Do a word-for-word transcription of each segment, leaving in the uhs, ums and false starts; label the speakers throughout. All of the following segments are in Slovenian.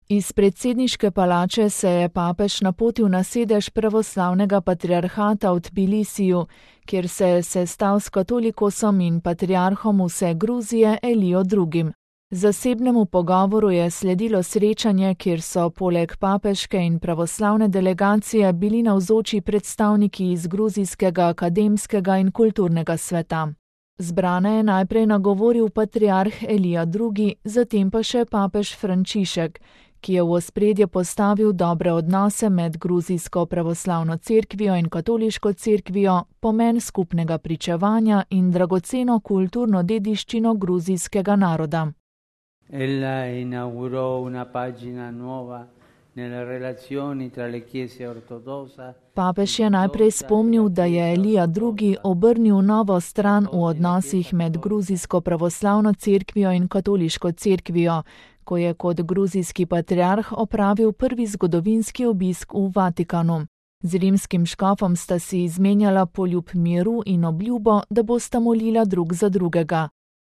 Speaker 1: Iz predsedniške palače se je papež napotil na sedež pravoslavnega patriarhata v Tbilisiju, kjer se je sestal s katolikosom in patriarhom vse Gruzije Elijo drugim. Zasebnemu pogovoru je sledilo srečanje, kjer so poleg papeške in pravoslavne delegacije bili navzoči predstavniki iz gruzijskega akademskega in kulturnega sveta. Zbrane je najprej nagovoril patriarh Elija drugi, zatem pa še papež Frančišek, ki je v ospredje postavil dobre odnose med gruzijsko pravoslavno cerkvijo in katoliško cerkvijo, pomen skupnega pričevanja in dragoceno kulturno dediščino gruzijskega naroda.
Speaker 2: Ella inaugurò una pagina nuova nelle relazioni tra le chiese ortodossa.
Speaker 1: Papež je najprej spomnil, da je Elija drugi obrnil novo stran v odnosih med gruzijsko pravoslavno cerkvijo in katoliško cerkvijo, ko je kot gruzijski patriarh opravil prvi zgodovinski obisk v Vatikanu. Z rimskim škofom sta si izmenjala poljub miru in obljubo, da bosta molila drug za drugega.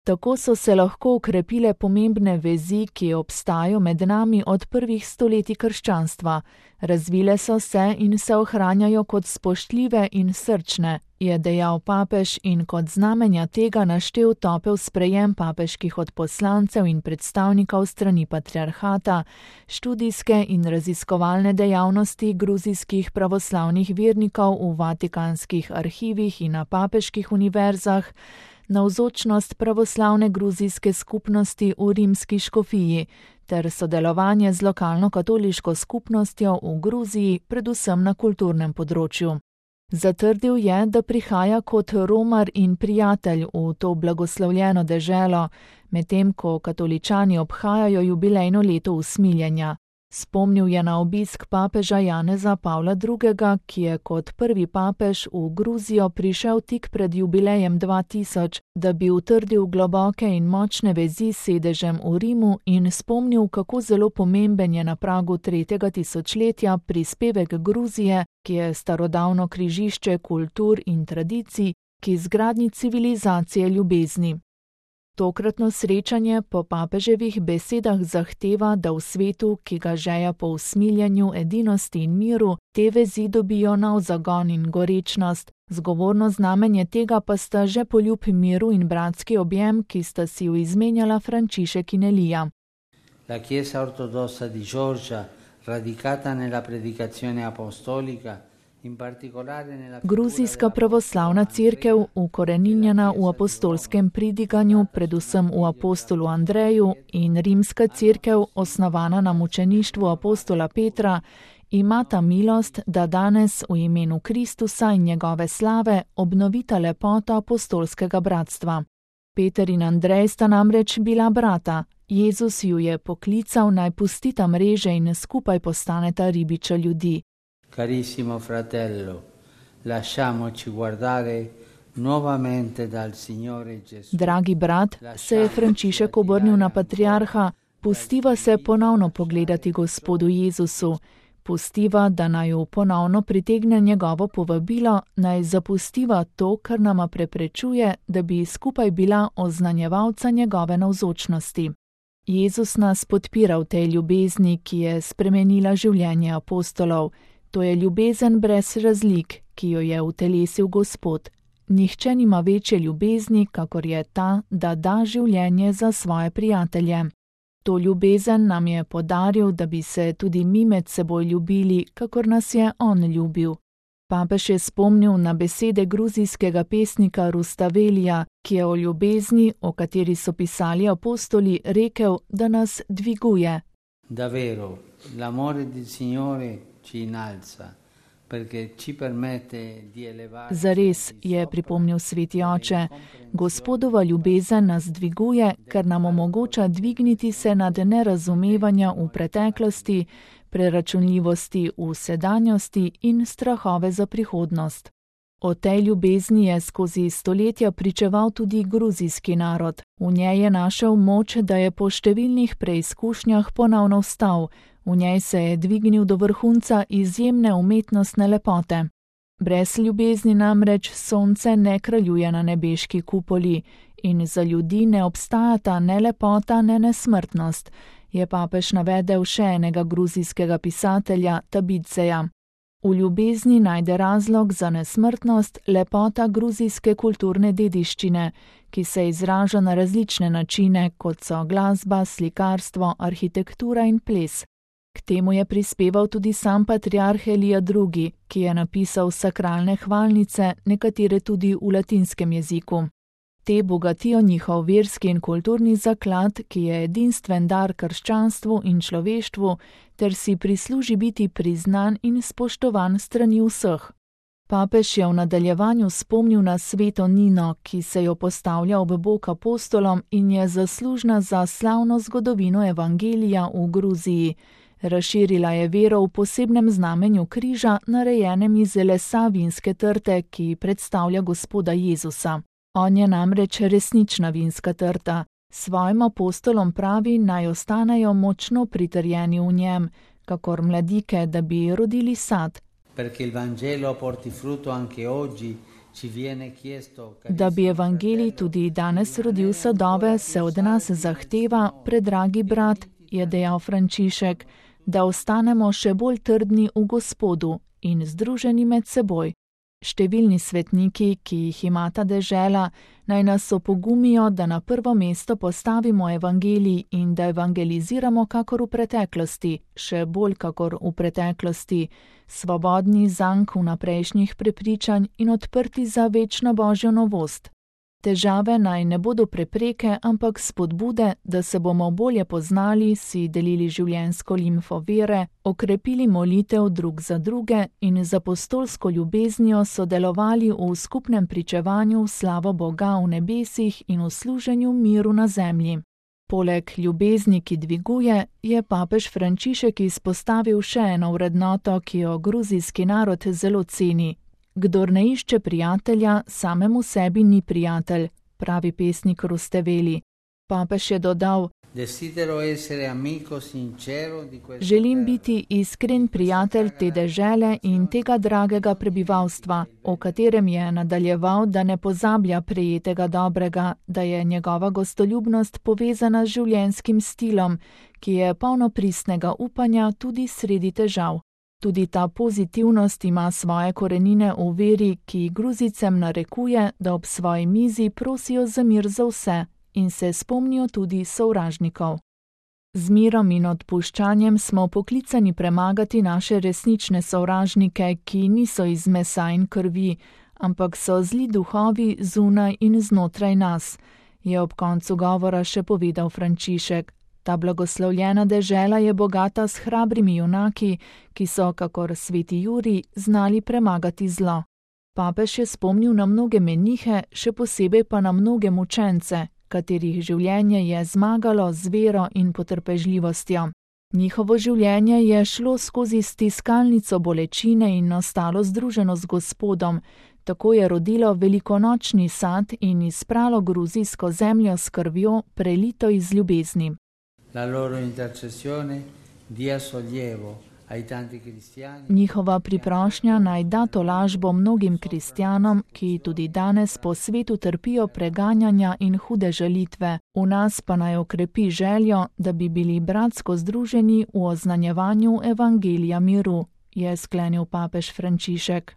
Speaker 1: Tako so se lahko ukrepile pomembne vezi, ki obstajajo med nami od prvih stoletij krščanstva. Razvile so se in se ohranjajo kot spoštljive in srčne, je dejal papež in kot znamenja tega naštel topel sprejem papeških odposlancev in predstavnikov strani patriarhata, študijske in raziskovalne dejavnosti gruzijskih pravoslavnih vernikov v vatikanskih arhivih in na papeških univerzah, navzočnost pravoslavne gruzijske skupnosti v rimski škofiji ter sodelovanje z lokalno katoliško skupnostjo v Gruziji, predvsem na kulturnem področju. Zatrdil je, da prihaja kot romar in prijatelj v to blagoslovljeno deželo, medtem ko katoličani obhajajo jubilejno leto usmiljenja. Spomnil je na obisk papeža Janeza Pavla drugega, ki je kot prvi papež v Gruzijo prišel tik pred jubilejem dva tisoč, da bi utrdil globoke in močne vezi s sedežem v Rimu in spomnil, kako zelo pomemben je na pragu tretjega tisočletja prispevek Gruzije, ki je starodavno križišče kultur in tradicij, ki zgradnji civilizacije ljubezni. Tokratno srečanje po papeževih besedah zahteva, da v svetu, ki ga žeja po usmiljenju, edinosti in miru, te vezi dobijo nov zagon in gorečnost. Zgovorno znamenje tega pa sta že poljub miru in bratski objem, ki sta si ju izmenjala Frančišek in Elija.
Speaker 2: La Chiesa ortodossa di Georgia, radicata nella predicazione apostolica,
Speaker 1: Gruzijska pravoslavna cerkev, ukoreninjena v apostolskem pridiganju, predvsem v apostolu Andreju, in rimska cerkev, osnovana na mučeništvu apostola Petra, imata milost, da danes v imenu Kristusa in njegove slave obnovita lepoto apostolskega bratstva. Peter in Andrej sta namreč bila brata. Jezus ju je poklical, naj pustita mreže in skupaj postaneta ribiča ljudi.
Speaker 2: Carissimo fratello, lasciamoci guardare nuovamente dal Signore Gesù.
Speaker 1: Dragi brat, se je Frančišek obrnil na patriarha, pustiva se ponovno pogledati Gospodu Jezusu, pustiva, da naju ponovno pritegne njegovo povabilo, naj zapustiva to, kar nama preprečuje, da bi skupaj bila oznanjevalca njegove navzočnosti. Jezus nas podpira v tej ljubezni, ki je spremenila življenje apostolov. To je ljubezen brez razlik, ki jo je utelesil Gospod. Nihče nima večje ljubezni, kakor je ta, da da življenje za svoje prijatelje. To ljubezen nam je podaril, da bi se tudi mi med seboj ljubili, kakor nas je on ljubil. Papež je spomnil na besede gruzijskega pesnika Rustavelija, ki je o ljubezni, o kateri so pisali apostoli, rekel, da nas dviguje.
Speaker 2: Davvero, l'amore del Signore ci inalza, perché ci permette di elevare.
Speaker 1: Zares, je pripomnil sveti oče, Gospodova ljubezen nas dviguje, ker nam omogoča dvigniti se nad nerazumevanja v preteklosti, preračunljivosti v sedanjosti in strahove za prihodnost. O tej ljubezni je skozi stoletja pričeval tudi gruzijski narod. V njej je našel moč, da je po številnih preizkušnjah ponovno vstal. V njej se je dvignil do vrhunca izjemne umetnostne lepote. Brez ljubezni namreč sonce ne kraljuje na nebeški kupoli in za ljudi ne obstajata ne lepota, ne nesmrtnost. Je papež navedel še enega gruzijskega pisatelja Tabidzeja. V ljubezni najde razlog za nesmrtnost lepota gruzijske kulturne dediščine, ki se izraža na različne načine, kot so glasba, slikarstvo, arhitektura in ples. K temu je prispeval tudi sam patriarh Elija drugi., ki je napisal sakralne hvalnice, nekatere tudi v latinskem jeziku. Te bogatijo njihov verski in kulturni zaklad, ki je edinstven dar krščanstvu in človeštvu, ter si prisluži biti priznan in spoštovan strani vseh. Papež je v nadaljevanju spomnil na sveto Nino, ki se jo postavlja ob bok apostolom in je zaslužna za slavno zgodovino evangelija v Gruziji. Razširila je vero v posebnem znamenju križa, narejenem iz lesa vinske trte, ki predstavlja Gospoda Jezusa. On je namreč resnična vinska trta. Svojim apostolom pravi, naj ostanejo močno pritrjeni v njem, kakor mladike, da bi rodili sad. Da bi evangelij tudi danes rodil sadove, se od nas zahteva, predragi brat, je dejal Frančišek, da ostanemo še bolj trdni v Gospodu in združeni med seboj. Številni svetniki, ki jih ima ta dežela, naj nas opogumijo, da na prvo mesto postavimo evangelij in da evangeliziramo kakor v preteklosti, še bolj kakor v preteklosti, svobodni zank vnaprejšnjih prepričanj in odprti za večno Božjo novost. Težave naj ne bodo prepreke, ampak spodbude, da se bomo bolje poznali, si delili življenjsko limfo vere, okrepili molitev drug za druge in z apostolsko ljubeznijo sodelovali v skupnem pričevanju v slavo Boga v nebesih in v služenju miru na zemlji. Poleg ljubezni, ki dviguje, je papež Frančišek izpostavil še eno vrednoto, ki jo gruzijski narod zelo ceni. Kdor ne išče prijatelja, samemu sebi ni prijatelj, pravi pesnik Rusteveli. Papež je dodal: Želim biti iskren prijatelj te dežele in tega dragega prebivalstva, o katerem je nadaljeval, da ne pozablja prejetega dobrega, da je njegova gostoljubnost povezana z življenjskim stilom, ki je polno pristnega upanja tudi sredi težav. Tudi ta pozitivnost ima svoje korenine v veri, ki Gruzicem narekuje, da ob svoji mizi prosijo za mir za vse in se spomnijo tudi sovražnikov. Z mirom in odpuščanjem smo poklicani premagati naše resnične sovražnike, ki niso iz mesa in krvi, ampak so zli duhovi zunaj in znotraj nas, je ob koncu govora še povedal Frančišek. Ta blagoslovljena dežela je bogata s hrabrimi junaki, ki so, kakor sveti Jurij, znali premagati zlo. Papež je spomnil na mnoge menihe, še posebej pa na mnoge mučence, katerih življenje je zmagalo z vero in potrpežljivostjo. Njihovo življenje je šlo skozi stiskalnico bolečine in ostalo združeno z Gospodom, tako je rodilo velikonočni sad in izpralo gruzijsko zemljo s krvjo, prelito iz ljubezni.
Speaker 2: La loro intercessione dia sollievo ai tanti cristiani.
Speaker 1: Njihova priprošnja naj da tolažbo mnogim kristjanom, ki tudi danes po svetu trpijo preganjanja in hude žalitve. V nas pa naj okrepi željo, da bi bili bratsko združeni v oznanjevanju evangelija miru, je sklenil papež Frančišek.